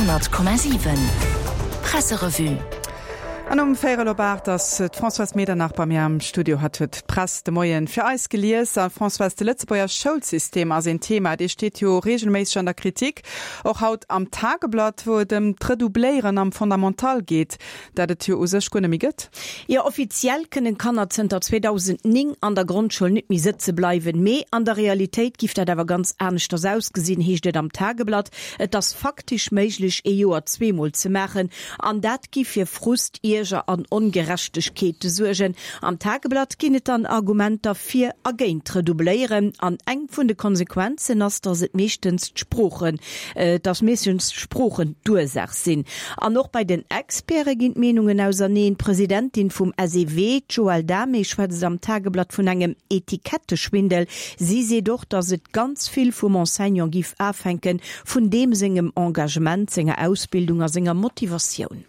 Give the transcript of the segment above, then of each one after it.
100,7 Presserevue. An um véierel op 8 ass d'Françoise Medernach bei mir am Studio. Hatt huet d'Press de Moien fir eis gelies. A Françoise, de Lëtzebuerger Schoulsystem ass een Thema, dee steet jo reegelméisseg an der Kritik. Och haut am Tageblatt, wou et ëm d'Redoubléieren am Fondamental geet. Dat et jo u sech guer net méi gëtt. Jo, offiziell kënnen Kanner zënter 2009 an der Grondschoul net méi sëtze bleiwen. Mee an der Realitéit giff dat awer ganz aneschters ausgesinn, heescht et am Tageblatt. Et ass faktesch méiglech, ee Joer zweemol ze maachen. An dat giff fir Frust, Ierger an Ongerechtegkeete suergen. Am Tageblatt ginn et dann Argumenter fir a géint d'Redoubléieren. An eng vun de Konsequenzen ass, datt et meeschtens d'Sproochen, datt meeschtens d'Sproochen d'Ursaach sinn. An och bei den Experte ginn d'Meenungen auserneen. D'Presidentin vum SEW, d'Joëlle Damé, schwätzt am Tageblatt vun engem Etiketteschwindel. Si seet och, datt et ganz vill vum Enseignant giff afänken, vun deem sengem Engagement, senger Ausbildung a senger Motivatioun.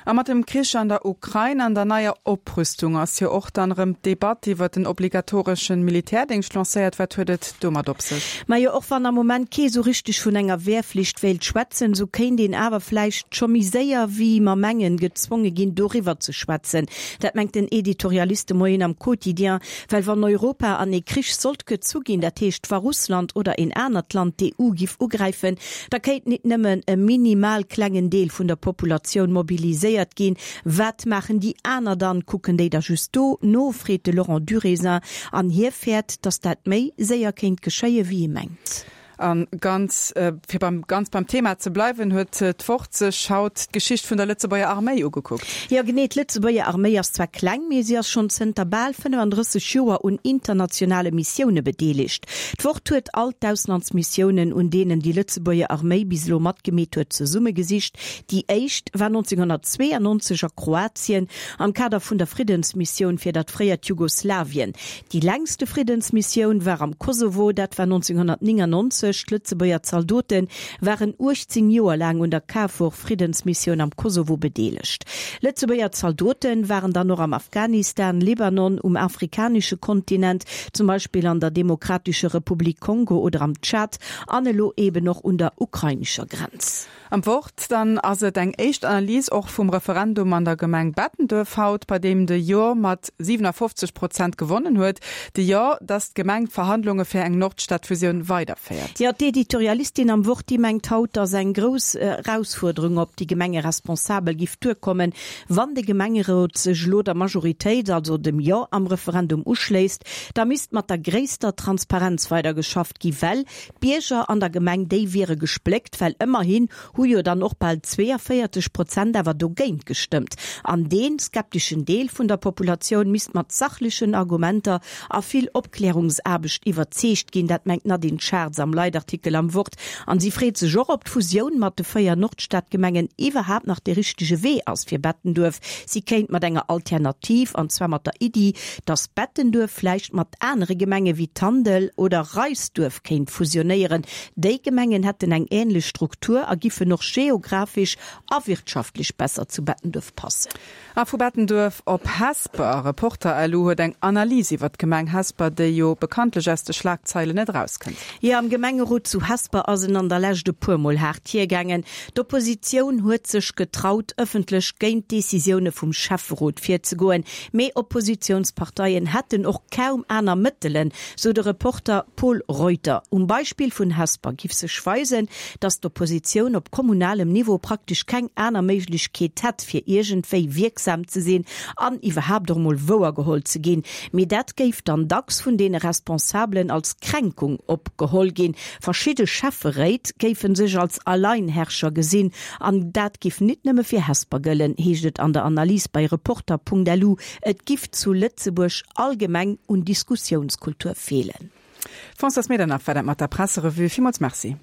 A mat dem Krich an der Ukrain an der neier Oprüstung ass jo och dann erëm d'Debatt iwwert den obligatoreschen Militärdéngscht lancéiert. Wat huet et domat op sech? Majo, och wann am Moment kee sou richteg vun enger Wehrflicht wéilt schwätzen, sou kéint een awer vläicht scho méi séier wéi mer mengen gezwonge ginn doriwwer ze schwätzen. Dat mengt den Editorialist de Moien am Quotidien. Well wann Europa an ee Krich sollt gezu ginn, dat heescht wa Russland oder een anert Land d'EU giff ugräifen, Da kéint nit nëmmen e minimal klengen Deel vun der Populatioun mobiliséiert ginn. Wat maachen déi aner dann? Kucken déi da just do no? freet de Laurent Durézin. An hie fäert, datt dat méi séier kéint geschéie wéi ee mengt. A ganz, fir beim ganz beim Thema ze bleiwen, huet d'Wort sech haut d'Geschicht vun der Lëtzebuerger Arméi ugekuckt. Jo genee, d'Lëtzebuerger Arméi ass zwar kleng, mee si ass schonn zënter bal 35 Joer un internationale Missioune bedeelegt. D'Wort huet all d'Auslandsmissiounen, un deenen déi Lëtzebuerger Arméi bis elo matgemeet huet, zesummegesicht. Déi éischt war 1992 a Kroatien am Kader vun der Friddensmissioun fir dat fréiert Jugoslawien. Déi längste Friddensmissioun war am Kosovo, dat war 1999. D'Lëtzebuerger Zaldote waren 18 Joer laang un der KFOR-Friddensmissioun am Kosovo bedeelegt. Lëtzebuerger Zaldote waren dann och am Afghanistan, Libanon, um afrikanesche Kontinent, zum Beispill an der Demokratescher Republik Kongo oder am Tschad an elo eben och un der ukrainescher Grenz. Am Wort dann ass et eng éischt Analys och vum Referendum an der Gemeng Bettenduerf haut, bei deem de Jo mat 57 Prozent gewonnen huet. De Jo, datt d'Gemeng d'Verhandlunge fir eng Nordstadfusioun weiderféiert. Jo, d'Editorialistin am Wort, déi mengt haut, datt eng grouss Erausfuerderung op déi Gemengeresponsabel giff duerkommen, wann de Gemengerot sech elo der Majoritéit, also dem Jo am Referendum uschléisst. Da misst mat der gréisster Transparenz weidergeschafft gi, well D'Bierger an der Gemeng, déi wiere gespléckt, well ëmmerhin hu jo dann och bal 42 Prozent awer dogéint gestëmmt. An dee skepteschen Deel vun der Populatioun misst mat sachlechen Argumenter a vill Opklärungsaarbecht iwwerzeegt ginn. Dat mengt d'Nadine Schartz am Leitartikel am Wort. An si freet sech och, ob d'Fusioun mat de 4 Nordstadgemengen iwwerhaapt nach dee richtege Wee ass fir Bettenduerf. Si kéint mat enger Alternativ, an zwar mat der Iddi, datt Bettenduerf vläicht mat anere Gemenge wéi Tandel oder Reisduerf kéint fusionéieren. Déi Gemengen hätten eng änlech Struktur a giffen och geographesch a wirtschaftlech besser zu Bettenduerf passen. A vu Bettenduerf op Hesper. Reporter-LU huet eng Analys iwwer d'Gemeng Hesper, déi jo bekanntlech aus de Schlagzeilen net erauskënnt. Jo, am Gemengerot zu Hesper ass en an der Lescht e puer Mol haart hiergaangen. D'Oppositioun huet sech getraut, ëffentlech géint d'Decisioune vum Schäfferot virzegoen. Mee Oppositiounsparteien hätten och kaum aner Mëttelen, sou de Reporter Pol Reuter. Um Beispill vun Hesper giff sech weisen, datt d'Oppositioun op kommunalem Niveau praktesch keng aner Méiglechkeet hätt, fir iergendwéi wierksam ze sinn an iwwerhaapt och emol wouergeholl ze ginn. Mee dat géif dann dacks vun deene Responsabelen als Kränkung opgeholl ginn. Verschidde Schäfferéit géife sech als Alleinherrscher gesinn an dat giff nit nëmme fir Hesper gëllen, heescht et an der Analys bei Reporter.lu. Et giff zu Lëtzebuerg allgemeng un Diskussiounskultur feelen. Françoise Medernach war dat mat der Presserevue. Villmools Merci.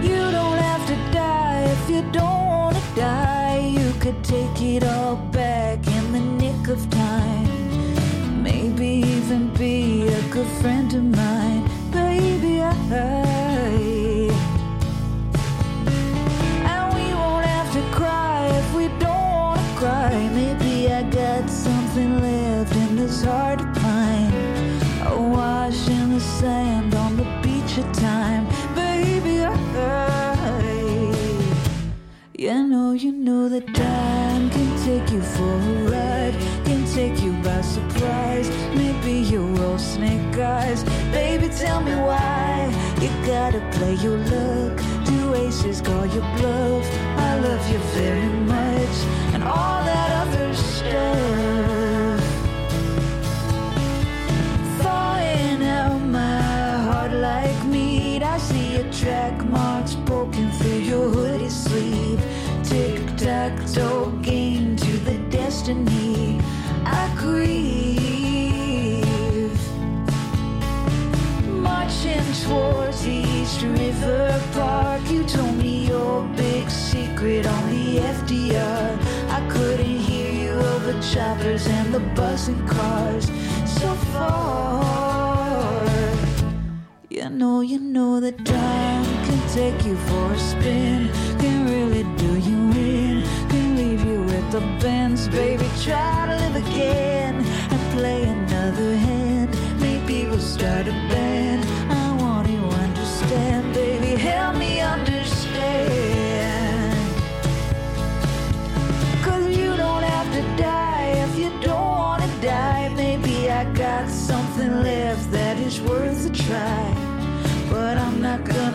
You don't have to die if you don't wanna die. You could take it all back in the nick of time. Maybe even be a good friend of mine. Baby, I. know, you know that time can take you for a ride, can take you by surprise. Maybe you roll snake eyes. Baby, tell me why you gotta play your luck. Two aces call your bluff. I love you very much and all that other stuff. Thawing out my heart like meat. I see your track marks poking through your hoodie sleeve. Tick tock toe game to the destiny I grieve. Marching towards the East River Park, you told me your big secret on the FDR. I couldn't hear you over choppers and the buzzing cars so far. You know, you know that time can take you for a spin, can really do you in, can leave you with the bends, baby. Try to live again and play another hand. Maybe we'll start a band. I want you understand, baby. Help me understand. Cause you don't have to die if you don't wanna die. Maybe I got something left that is worth a try. But I'm not gonna.